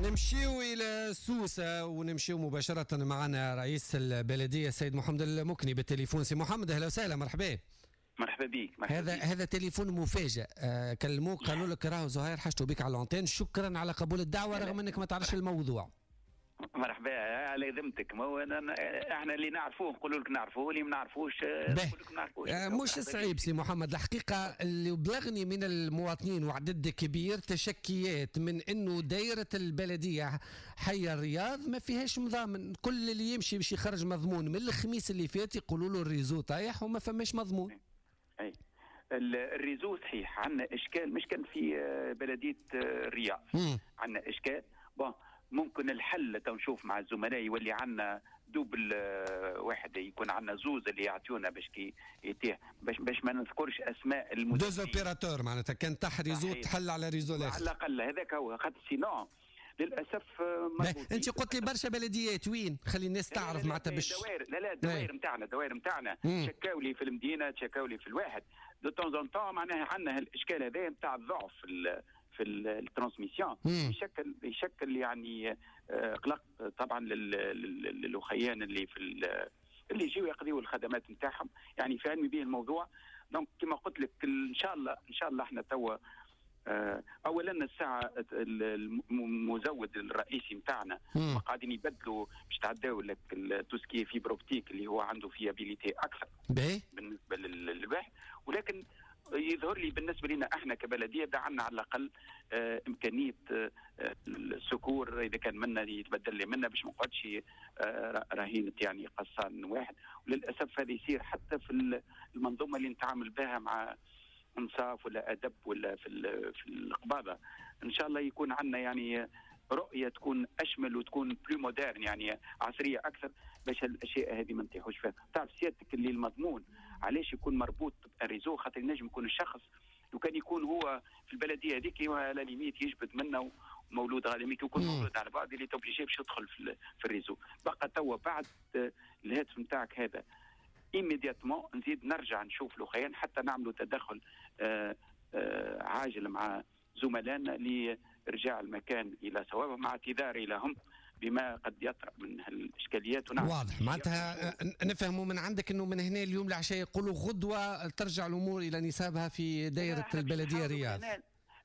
نمشيو الى سوسة ونمشيو مباشرة معنا رئيس البلدية السيد محمد المكني بالتليفون. سي محمد، اهلا وسهلا، مرحبا. مرحبا بك، مرحبا. هذا تليفون مفاجئ. كلموك قالوا لك راهو زهير حاجته بك على l'antenne. شكرا على قبول الدعوة رغم انك ما تعرفش الموضوع. مرحبا، على ذمتك. ما هو احنا اللي نعرفوه نقولوا لك نعرفوه، اللي ما نعرفوش نقول لك ما نعرفوش. مش صعيب سي محمد. الحقيقة اللي بلغني من المواطنين وعدد كبير تشكيات من انه دائرة البلدية حي الرياض ما فيهاش مضامن. كل اللي يمشي باش يخرج مضمون من الخميس اللي فات يقولوا له ال réseau طايح وما فماش مضمون. اي، ال réseau صحيح عندنا اشكال، مش كان في بلديه الرياض عندنا اشكال. bon، ممكن الحل تو نشوف مع الزملاء، يولي عندنا double واحد، يكون عندنا زوز اللي يعطيونا باش كي يتيح باش ما نذكرش اسماء المدرسين. deux opérateurs معناتها، كان طاح réseau تحل على réseau الاخر. على الاقل هذاك هو، خاطر sinon للاسف. انت قلت لي برشا بلديات، وين؟ خلي الناس تعرف معناتها باش دوائر، لا لا، الدوائر نتاعنا، الدوائر نتاعنا شكاو لي في المدينه، تشكاو لي في الواحد de temps en temps. معناها عندنا الاشكال هذا نتاع الضعف في ال transmission، يشكل يعني قلق طبعا للخيان اللي يجيو يقضيوا الخدمات نتاعهم. يعني في علمي به الموضوع. donc كما قلت لك، ان شاء الله ان شاء الله احنا توا اولا الساعة المزود الرئيسي نتاعنا قاعدين يبدلوا باش تعداو لك tout ce qui est fibre optique اللي هو عنده fiabilité اكثر بالنسبة للواحد. ولكن يظهر لي بالنسبة لنا احنا كبلديه عندنا على الاقل امكانية ال secours اذا كان منا يتبدل لي منا باش ما نقعدش رهينة يعني قصان واحد. وللاسف هذا يصير حتى في المنظومة اللي نتعامل بها مع انصاف ولا ادب ولا في القباضه. ان شاء الله يكون عندنا يعني رؤية تكون اشمل وتكون plus moderne، يعني عصرية اكثر، باش الاشياء هذه ما نطيحوش فيها. تعرف سيادتك اللي المضمون علاش يكون مربوط بال réseau؟ خاطر ينجم يكون الشخص لو كان يكون هو في البلدية هذيك à la limite يجبد منه، مولود غادي يكون مولود على بعد اللي obligé باش يدخل في ال réseau. بقى توا بعد الهاتف نتاعك هذا immédiatement نزيد نرجع نشوف الاخرين حتى نعملوا تدخل عاجل مع زملائنا لارجاع المكان الى صوابه، مع اعتذاري لهم بما قد يطرأ من الاشكاليات. ونعم، واضح. معناتها نفهموا من عندك انه من هنا اليوم العشاء، يقولوا غدوه، ترجع الامور الى نصابها في دائرة البلدية الرياض.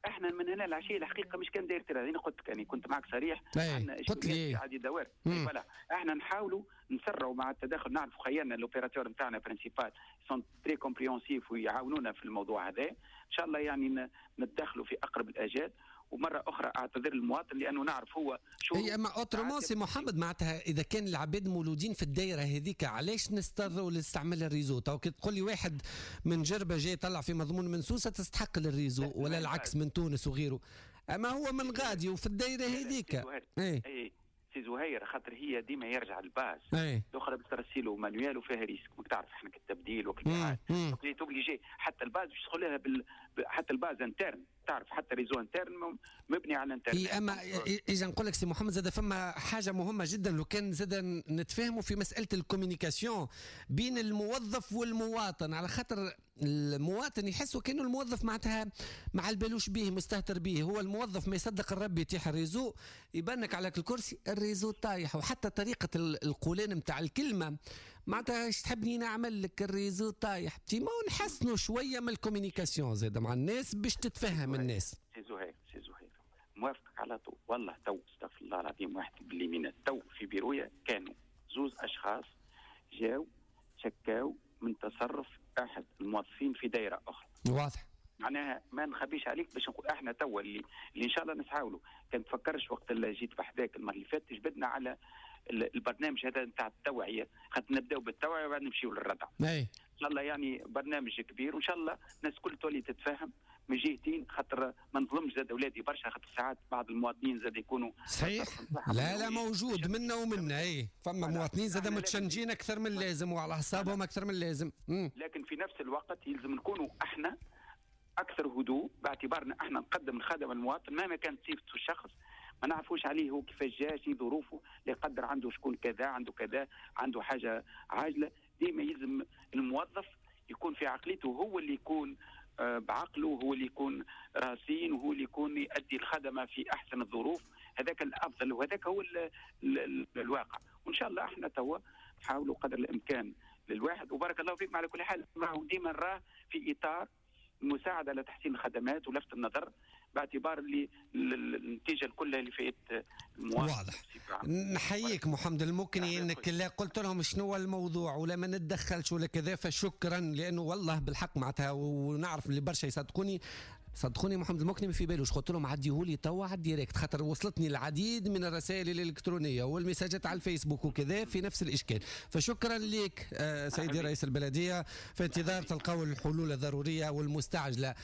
احنا من هنا العشية الحقيقة مش كان دايرة الرياض، انا قلت لك يعني كنت معك صريح. عندنا قلت لي عادي دوائر، voilà، احنا نحاولوا نسرعوا مع التدخل. نعرف خيالنا l'opérateur نتاعنا principal sont très compréhensifs ويعاونونا في الموضوع هذا. ان شاء الله يعني نتدخلوا في اقرب الاجال، ومرة اخرى اعتذر للمواطن لانه نعرف هو شو هي. اما autrement سي محمد، معناتها اذا كان العباد مولودين في الدائرة هذيك، علاش نضطروا لاستعمال ال réseau؟ تو كي تقول لي واحد من جربه جاي طلع في مضمون من سوسة تستحق لل réseau، ولا العكس من تونس وغيره، اما هو من غادي وفي الدائرة هذيك. ايه ايه سي زهير، خاطر هي ديما يرجع ال base. الاخرى باش ترسيله manuel وفيها risque، ماك تعرف احنا التبديل وكل، obligé حتى ال base باش تدخلها حتى ال base interne. تعرف حتى réseau interne مبني على الانترنت. هي اما اذا نقول لك سي محمد، زاد فما حاجة مهمة جدا، لو كان زاد نتفاهموا في مسالة ال communication بين الموظف والمواطن، على خاطر المواطن يحس وكانه الموظف معناتها ما على بالوش به، مستهتر به. هو الموظف ما يصدق الرب يتيح ال réseau، يبانك على الكرسي ال réseau طايح، وحتى طريقه القولان نتاع الكلمه، معناتها ايش تحبني نعمل لك؟ ال réseau طايح. ما نحسنوا شوية من ال communication زاد مع الناس باش تتفهم الناس. سي زهير، سي زهير، موافقك على طول. والله تو، استغفر الله العظيم، واحد باليمين، تو في بيرويا كانوا زوز اشخاص جاو شكاو من تصرف احد الموظفين في دائرة اخرى. معناها ما نخبيش عليك باش نقول احنا توا اللي ان شاء الله نسعاولوا. كان تفكرش وقت اللي جيت بحذاك المرة اللي فاتت جبدنا على البرنامج هذا نتاع التوعيه، خاطر نبداو بالتوعية وبعد نمشيو للردع. ان شاء الله يعني برنامج كبير، وان شاء الله الناس الكل تولي تتفاهم من جهتين، خاطر ما نظلمش زاد اولادي برشا، خاطر ساعات بعض المواطنين زاد يكونوا صحيح، لا لا، موجود منا ومنا. اي، فما مواطنين زاد متشنجين اكثر من اللازم وعلى اعصابهم اكثر من اللازم. لكن في نفس الوقت يلزم نكونوا احنا اكثر هدوء، باعتبارنا احنا نقدم الخدمة للمواطن مهما كانت صفته الشخص. ما نعرفوش عليه هو كيفاش جا، شنو ظروفه، لا يقدر عنده شكون كذا، عنده كذا، عنده حاجة عاجله. ديما يلزم الموظف يكون في عقليته، هو اللي يكون بعقله، هو اللي يكون راسين، وهو اللي يكون يؤدي الخدمة في احسن الظروف. هذاك الافضل وهذاك هو ال ال الواقع. وان شاء الله احنا توا نحاولوا قدر الامكان للواحد، وبارك الله فيكم. على كل حال راهو ديما نراه في اطار المساعدة على تحسين الخدمات ولفت النظر، باعتبار اللي النتيجة الكل اللي فائدة المواطن. واضح. نحييك محمد المكني انك لا قلت لهم شنو هو الموضوع ولا ما نتدخلش ولا كذا، فشكرا، لانه والله بالحق معناتها ونعرف اللي برشا يصدقوني، صدقوني محمد المكني ما في بالوش. قلت لهم عديهولي توا على ال direct، خاطر وصلتني العديد من الرسائل الالكترونية والمساجات على الفيسبوك وكذا في نفس الاشكال. فشكرا لك سيدي رئيس البلديه، في انتظار تلقاو الحلول الضرورية والمستعجله.